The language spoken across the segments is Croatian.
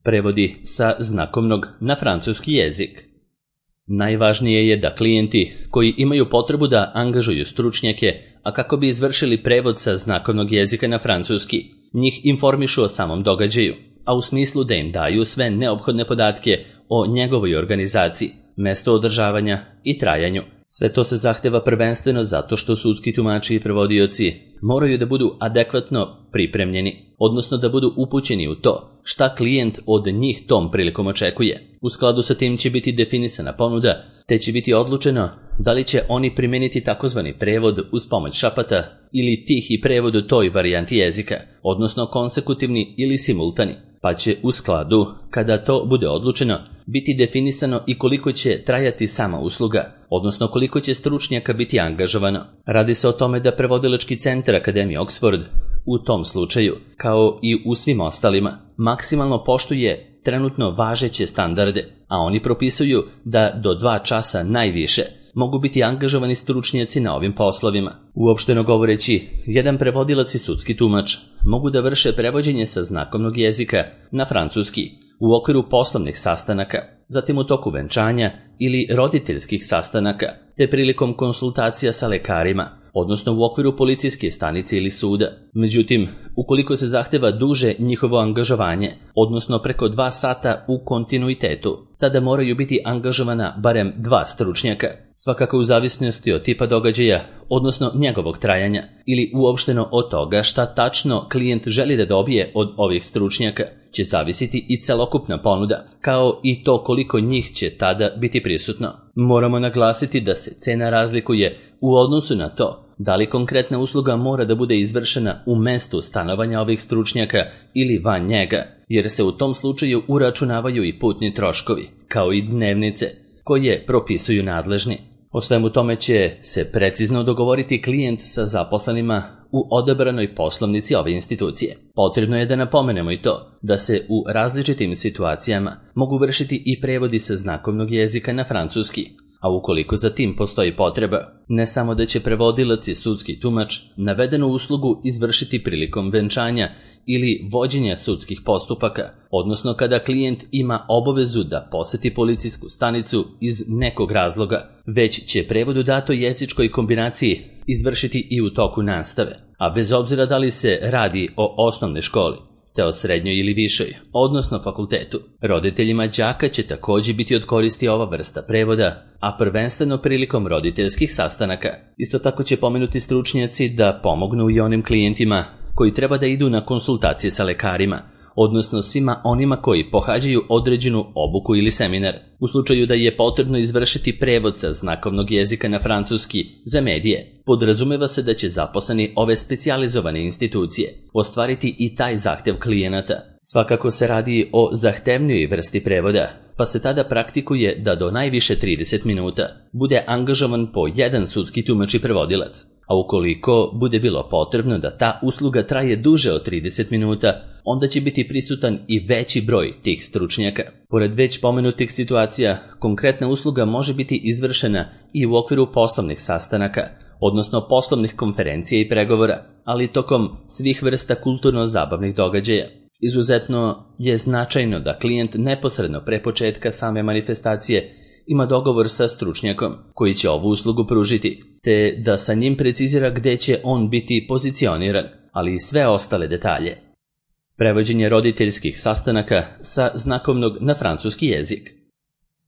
Prevodi sa znakovnog na francuski jezik. Najvažnije je da klijenti koji imaju potrebu da angažuju stručnjake, a kako bi izvršili prevod sa znakovnog jezika na francuski, njih informišu o samom događaju, a u smislu da im daju sve neophodne podatke o njegovoj organizaciji, mesto održavanja i trajanju. Sve to se zahteva prvenstveno zato što sudski tumači i prevodioci moraju da budu adekvatno pripremljeni, odnosno da budu upućeni u to šta klijent od njih tom prilikom očekuje. U skladu sa tim će biti definisana ponuda, te će biti odlučeno da li će oni primeniti takozvani prevod uz pomoć šapata ili tihi prevod u toj varijanti jezika, odnosno konsekutivni ili simultani, pa će u skladu, kada to bude odlučeno, biti definisano i koliko će trajati sama usluga, odnosno koliko će stručnjaka biti angažovano. Radi se o tome da prevodilački centar Akademije Oxford u tom slučaju, kao i u svim ostalima, maksimalno poštuje trenutno važeće standarde, a oni propisuju da do 2 časa najviše mogu biti angažovani stručnjaci na ovim poslovima. Uopšteno govoreći, jedan prevodilac i sudski tumač mogu da vrše prevođenje sa znakovnog jezika na francuski u okviru poslovnih sastanaka, zatim u toku venčanja ili roditeljskih sastanaka, te prilikom konsultacija sa lekarima, odnosno u okviru policijske stanice ili suda. Međutim, ukoliko se zahteva duže njihovo angažovanje, odnosno preko 2 sata u kontinuitetu, tada moraju biti angažovana barem 2 stručnjaka, svakako u zavisnosti od tipa događaja, odnosno njegovog trajanja, ili uopšteno od toga šta tačno klijent želi da dobije od ovih stručnjaka, će zavisiti i celokupna ponuda, kao i to koliko njih će tada biti prisutno. Moramo naglasiti da se cena razlikuje u odnosu na to da li konkretna usluga mora da bude izvršena u mestu stanovanja ovih stručnjaka ili van njega, jer se u tom slučaju uračunavaju i putni troškovi, kao i dnevnice, koje propisuju nadležni. O svemu tome će se precizno dogovoriti klijent sa zaposlenima u odabranoj poslovnici ove institucije. Potrebno je da napomenemo i to da se u različitim situacijama mogu vršiti i prevodi sa znakovnog jezika na francuski, a ukoliko za tim postoji potreba, ne samo da će prevodilac i sudski tumač navedenu uslugu izvršiti prilikom venčanja ili vođenja sudskih postupaka, odnosno kada klijent ima obavezu da poseti policijsku stanicu iz nekog razloga, već će prevod u datoj jezičkoj kombinaciji izvršiti i u toku nastave, a bez obzira da li se radi o osnovnoj školi, te o srednjoj ili višoj, odnosno fakultetu. Roditeljima đaka će također biti od koristi ova vrsta prevoda, a prvenstveno prilikom roditeljskih sastanaka. Isto tako će pomenuti stručnjaci da pomognu i onim klijentima koji treba da idu na konsultacije sa lekarima, odnosno svima onima koji pohađaju određenu obuku ili seminar. U slučaju da je potrebno izvršiti prevod sa znakovnog jezika na francuski za medije, podrazumeva se da će zaposleni ove specijalizovane institucije ostvariti i taj zahtev klijenata. Svakako se radi o zahtevnijoj vrsti prevoda, pa se tada praktikuje da do najviše 30 minuta bude angažovan po jedan sudski tumač i prevodilac, a ukoliko bude bilo potrebno da ta usluga traje duže od 30 minuta, onda će biti prisutan i veći broj tih stručnjaka. Pored već pomenutih situacija, konkretna usluga može biti izvršena i u okviru poslovnih sastanaka, odnosno poslovnih konferencija i pregovora, ali tokom svih vrsta kulturno-zabavnih događaja. Izuzetno je značajno da klijent neposredno pre početka same manifestacije ima dogovor sa stručnjakom koji će ovu uslugu pružiti, te da sa njim precizira gde će on biti pozicioniran, ali i sve ostale detalje. Prevođenje roditeljskih sastanaka sa znakovnog na francuski jezik.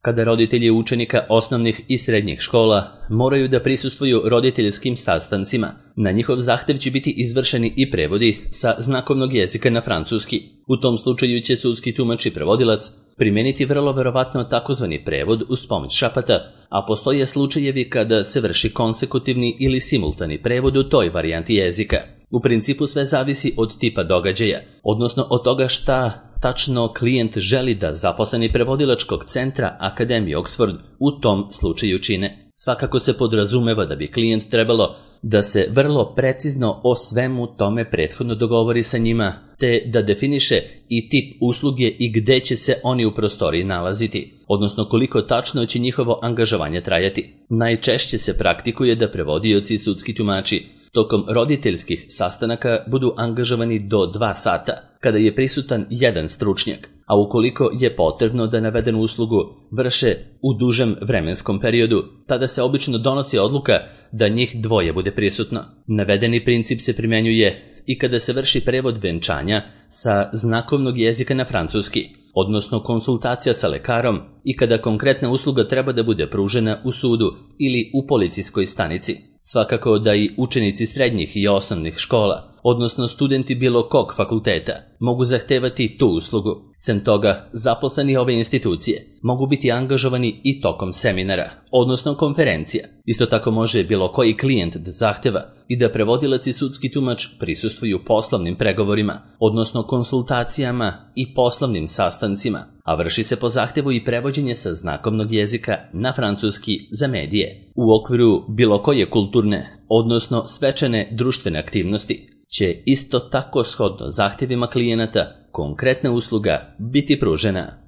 Kada roditelji učenika osnovnih i srednjih škola moraju da prisustvuju roditeljskim sastancima, na njihov zahtev će biti izvršeni i prevodi sa znakovnog jezika na francuski. U tom slučaju će sudski tumač i prevodilac primeniti vrlo verovatno takozvani prevod uz pomoć šapata, a postoje slučajevi kada se vrši konsekutivni ili simultani prevod u toj varijanti jezika. U principu sve zavisi od tipa događaja, odnosno od toga šta tačno klijent želi da zaposleni prevodilačkog centra Akademije Oxford u tom slučaju čine. Svakako se podrazumeva da bi klijent trebalo da se vrlo precizno o svemu tome prethodno dogovori sa njima, te da definiše i tip usluge i gde će se oni u prostoriji nalaziti, odnosno koliko tačno će njihovo angažovanje trajati. Najčešće se praktikuje da prevodioci i sudski tumači tokom roditeljskih sastanaka budu angažovani do 2 sata, kada je prisutan jedan stručnjak, a ukoliko je potrebno da navedenu uslugu vrše u dužem vremenskom periodu, tada se obično donosi odluka da njih dvoje bude prisutno. Navedeni princip se primjenjuje i kada se vrši prevod venčanja sa znakovnog jezika na francuski, odnosno konsultacija sa lekarom i kada konkretna usluga treba da bude pružena u sudu ili u policijskoj stanici. Svakako da i učenici srednjih i osnovnih škola, odnosno studenti bilo kog fakulteta, mogu zahtevati tu uslugu. Sem toga, zaposleni ove institucije mogu biti angažovani i tokom seminara, odnosno konferencija. Isto tako može bilo koji klijent da zahteva i da prevodilac i sudski tumač prisustvuju poslovnim pregovorima, odnosno konsultacijama i poslovnim sastancima, a vrši se po zahtevu i prevođenje sa znakovnog jezika na francuski za medije. U okviru bilo koje kulturne, odnosno svečane društvene aktivnosti, će isto tako shodno zahtjevima klijenata konkretna usluga biti pružena.